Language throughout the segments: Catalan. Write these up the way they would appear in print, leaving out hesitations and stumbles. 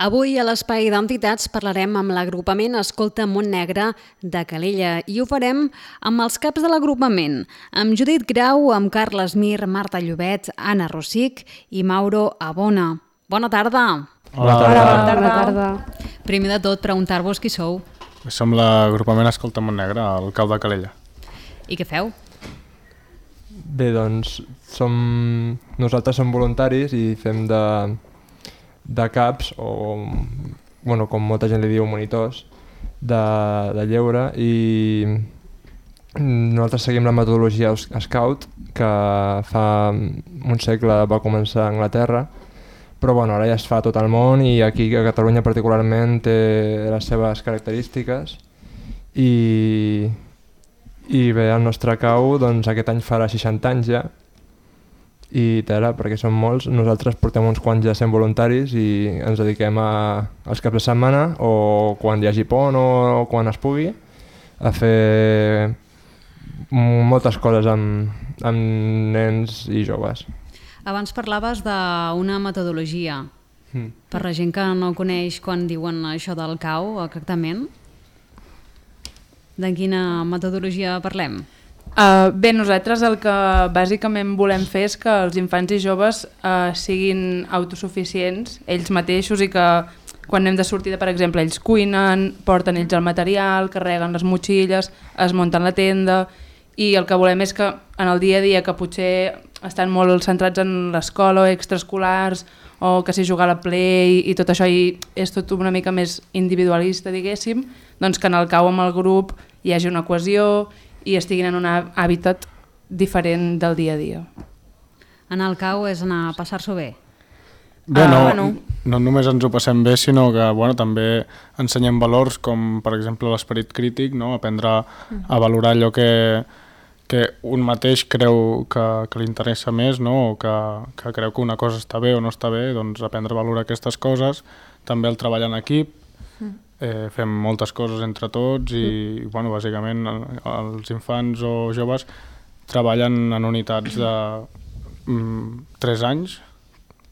Avui a l'Espai d'Entitats parlarem amb l'agrupament Escolta Montnegre de Calella i ho farem amb els caps de l'agrupament, amb Judit Grau, amb Carles Mir, Marta Llobet, Anna Rossic i Mauro Abona. Bona tarda! Bona tarda. Primer de tot, preguntar-vos qui sou. Som l'agrupament Escolta Montnegre, al cau de Calella. I què feu? Bé, doncs, nosaltres som voluntaris i fem de caps, o com molta gent li diu, monitors de lleure, i nosaltres seguim la metodologia Scout, que fa un segle va començar a Anglaterra, però ara ja es fa a tot el món i aquí a Catalunya particularment té les seves característiques i bé, el nostre cau aquest any farà 60 anys ja i tela, perquè són molts. Nosaltres portem uns quants ja sent voluntaris i ens dediquem als caps de setmana o quan hi hagi pont o quan es pugui a fer moltes coses amb nens i joves. Abans parlaves d'una metodologia. Per la gent que no coneix quan diuen això del cau, exactament, de quina metodologia parlem? Bé, nosaltres el que bàsicament volem fer és que els infants i joves siguin autosuficients ells mateixos i que quan anem de sortida, per exemple, ells cuinen, porten ells el material, carreguen les motxilles, es munten la tenda i el que volem és que en el dia a dia que potser estan molt centrats en l'escola o extraescolars o que si jugar a la play i tot això i és tot una mica més individualista, diguéssim, doncs que en el cau amb el grup hi hagi una cohesió i estiguin en un hàbitat diferent del dia a dia. Anar al cau és anar a passar-s'ho bé? Bé, no només ens ho passem bé, sinó que també ensenyem valors com, per exemple, l'esperit crític, no? Aprendre a valorar allò que un mateix creu que li interessa més, no? O que creu que una cosa està bé o no està bé, doncs aprendre a valorar aquestes coses. També el treball en equip, fem moltes coses entre tots i bàsicament els infants o joves treballen en unitats de 3 anys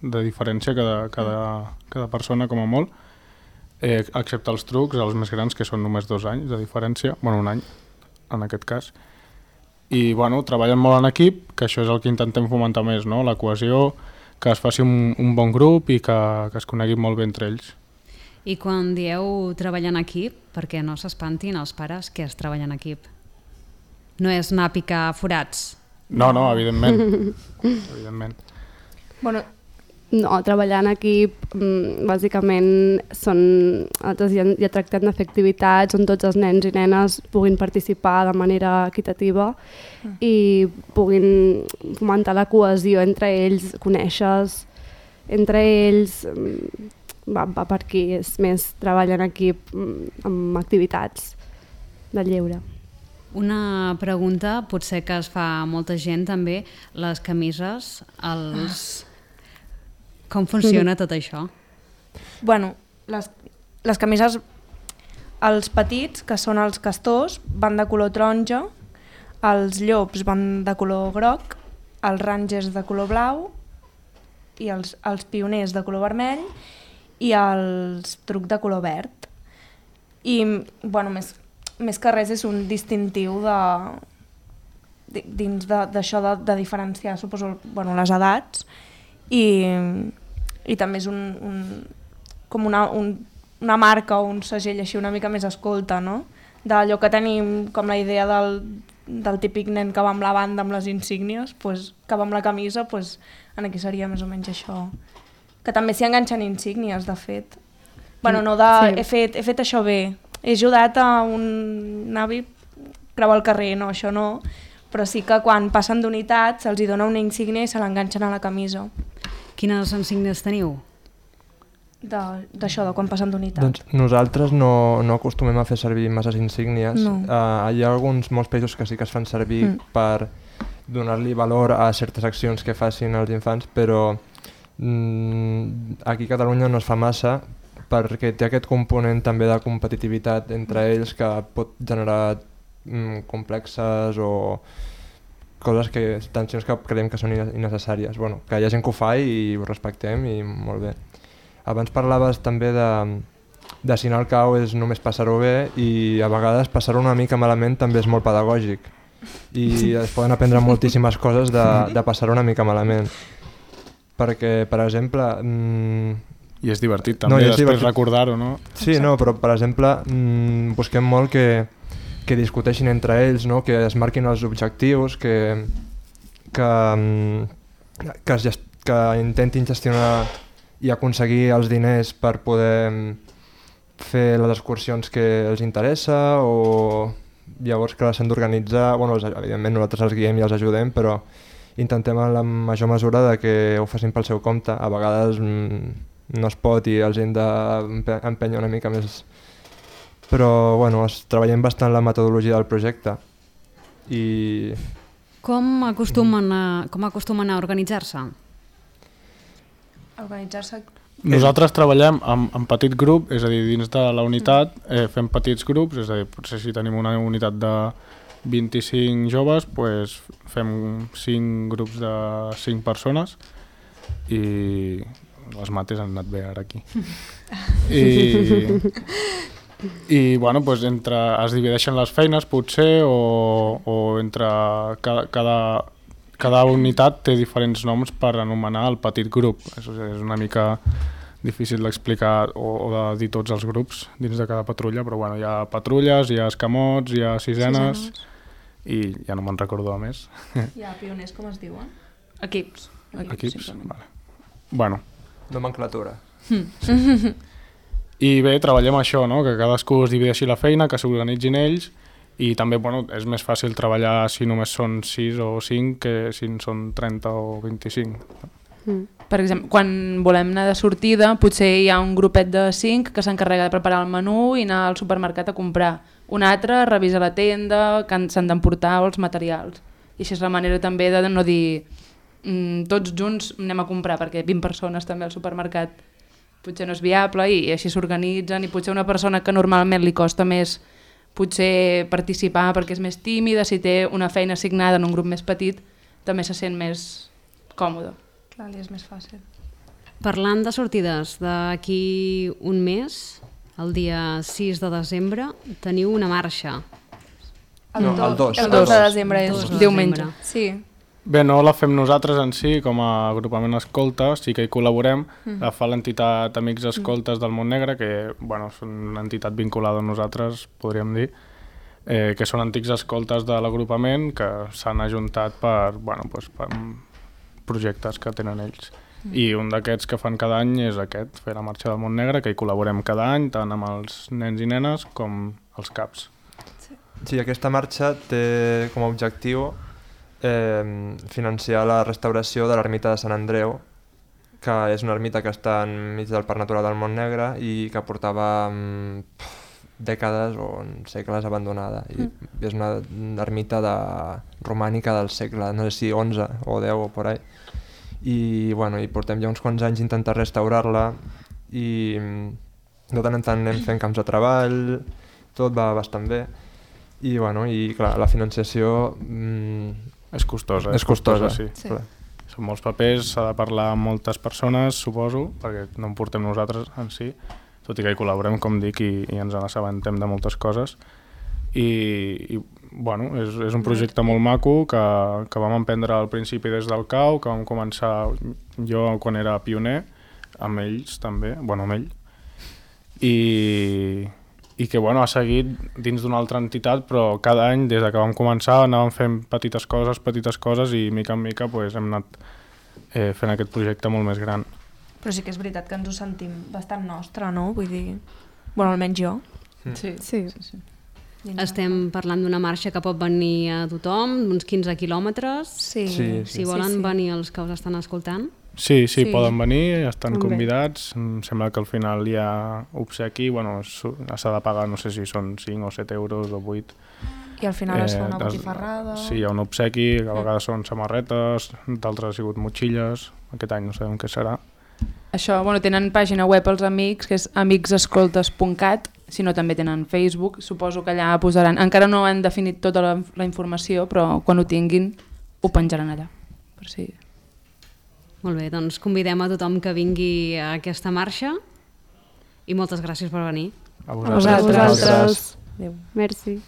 de diferència cada persona com a molt, excepte els trucs, els més grans que són només 2 anys de diferència, un any en aquest cas. I treballen molt en equip, que això és el que intentem fomentar més, no? La cohesió, que es faci un bon grup i que es coneguin molt bé entre ells. I quan dieu treballar en equip, perquè no s'espantin els pares que es treballa en equip? No és anar a picar forats? No, evidentment. Evidentment. No, treballar en equip bàsicament ja tractem de fer activitats on tots els nens i nenes puguin participar de manera equitativa i puguin fomentar la cohesió entre ells, conèixer-se entre ells. Va per aquí, és més treball en equip amb activitats de lleure. Una pregunta, potser que es fa molta gent també, les camises, com funciona tot això? Les camises, els petits, que són els castors, van de color taronja, els llops van de color groc, els rangers de color blau i els pioners de color vermell i els truc de color verd. I més que res és un distintiu dins d'això de diferenciar, suposo, les edats i també és com una marca o un segell així una mica més escolta, no? D'allò que tenim com la idea del típic nen que va amb la banda amb les insígnies, que va amb la camisa, aquí seria més o menys això. Que també s'hi enganxen insígnies, de fet. He fet això bé, he ajudat a un avi creuar el carrer, no, això no, però sí que quan passen d'unitat se'ls dona una insígnia i se l'enganxen a la camisa. Quines insígnies teniu? D'això, de quan passen d'unitat. Doncs nosaltres no acostumem a fer servir masses insígnies. No. Hi ha molts països que sí que es fan servir per donar-li valor a certes accions que facin els infants, però aquí a Catalunya no es fa massa perquè té aquest component també de competitivitat entre ells que pot generar complexes o coses tensions que creiem que són innecessàries. Que hi ha gent que ho fa i ho respectem i molt bé. abans parlaves també de si anar al cau és només passar-ho bé i a vegades passar-ho una mica malament també és molt pedagògic i es poden aprendre moltíssimes coses de passar-ho una mica malament. Perquè, per exemple... I és divertit també, després recordar-ho, no? Sí, no, però per exemple busquem molt que discuteixin entre ells, no? Que es marquin els objectius, que intentin gestionar i aconseguir els diners per poder fer les excursions que els interessa o llavors que s'han d'organitzar. Bueno, evidentment nosaltres els guiem i els ajudem, però intentem en la major mesura de que ho facin pel seu compte. A vegades no es pot i els hem d'empènyer una mica més. Però bueno, treballem bastant la metodologia del projecte. I... Com acostumen a organitzar-se? Organitzar-se... Nosaltres treballem en petit grup, és a dir, dins de la unitat fem petits grups, és a dir, potser si tenim una unitat de 25 joves, doncs fem 5 grups de 5 persones i les mates han anat bé ara aquí. I bueno, doncs es divideixen les feines potser o entre cada unitat té diferents noms per anomenar el petit grup. És una mica difícil d'explicar o de dir tots els grups dins de cada patrulla, però bueno, hi ha patrulles, hi ha escamots, hi ha sisenes i ja no me'n recordo de més. Hi ha pioners, com es diuen? Equips. Equips? Vale. Bueno. Nomenclatura. I bé, treballem això, no? Que cadascú es divideixi la feina, que s'organitzin ells i també bueno, és més fàcil treballar si només són 6 o 5 que si en són 30 o 25. Per exemple, quan volem anar de sortida potser hi ha un grupet de 5 que s'encarrega de preparar el menú i anar al supermercat a comprar. Un altre revisa la tenda, que s'han d'emportar els materials. I així és la manera també de no dir tots junts anem a comprar, perquè 20 persones també al supermercat potser no és viable i així s'organitzen i potser una persona que normalment li costa més potser participar perquè és més tímida, si té una feina assignada en un grup més petit també se sent més còmode. Clar, li és més fàcil. Parlant de sortides, d'aquí un mes, el dia 6 de desembre, teniu una marxa. El 2 de desembre és diumenge. Sí. Bé, no la fem nosaltres en si, com a agrupament escolta, sí que hi col·laborem. La fa l'entitat Amics Escoltes del Montnegre, que bueno, són una entitat vinculada a nosaltres, podríem dir, que són antics escoltes de l'agrupament que s'han ajuntat per projectes que tenen ells. I un d'aquests que fan cada any és aquest, fer la Marxa del Montnegre, que hi col·laborem cada any, tant amb els nens i nenes com els CAPs. Sí, aquesta marxa té com a objectiu financiar la restauració de l'ermita de Sant Andreu, que és una ermita que està enmig del Parc Natural del Montnegre i que portava dècades o segles abandonada. I és una ermita romànica del segle, no sé si 11 o 10 o por ahí. I bueno, portem ja uns quants anys intentar restaurar-la i de tant en tant anem fent camps de treball, tot va bastant bé. I bueno, i clar, la financiació és costosa. Sí. Són molts papers, s'ha de parlar amb moltes persones, suposo, perquè no en portem nosaltres en si, tot i que hi col·laborem, com dic, i ens n'assabentem de moltes coses. I bueno, és un projecte molt maco que vam emprendre al principi des del CAU, que vam començar jo quan era pioner, amb ells també, amb ell, i que bueno, ha seguit dins d'una altra entitat, però cada any, des que vam començar, anàvem fent petites coses i mica en mica hem anat fent aquest projecte molt més gran. Però sí que és veritat que ens ho sentim bastant nostre, no? Vull dir, bueno, almenys jo. Sí. Estem parlant d'una marxa que pot venir a tothom, uns 15 quilòmetres. Si volen venir els que us estan escoltant. Sí, poden venir, estan convidats. Em sembla que al final hi ha obsequi, s'ha de pagar, no sé si són 5 o 7 euros o 8. I al final es fa una botifarrada. Sí, hi ha un obsequi, que a vegades són samarretes, d'altres ha sigut motxilles, aquest any no sabem què serà. Això, tenen pàgina web els amics, que és amicsescoltes.cat, si no també tenen Facebook, suposo que allà posaran, encara no han definit tota la informació, però quan ho tinguin ho penjaran allà, per si... Molt bé, doncs convidem a tothom que vingui a aquesta marxa i moltes gràcies per venir. A vosaltres. Merci.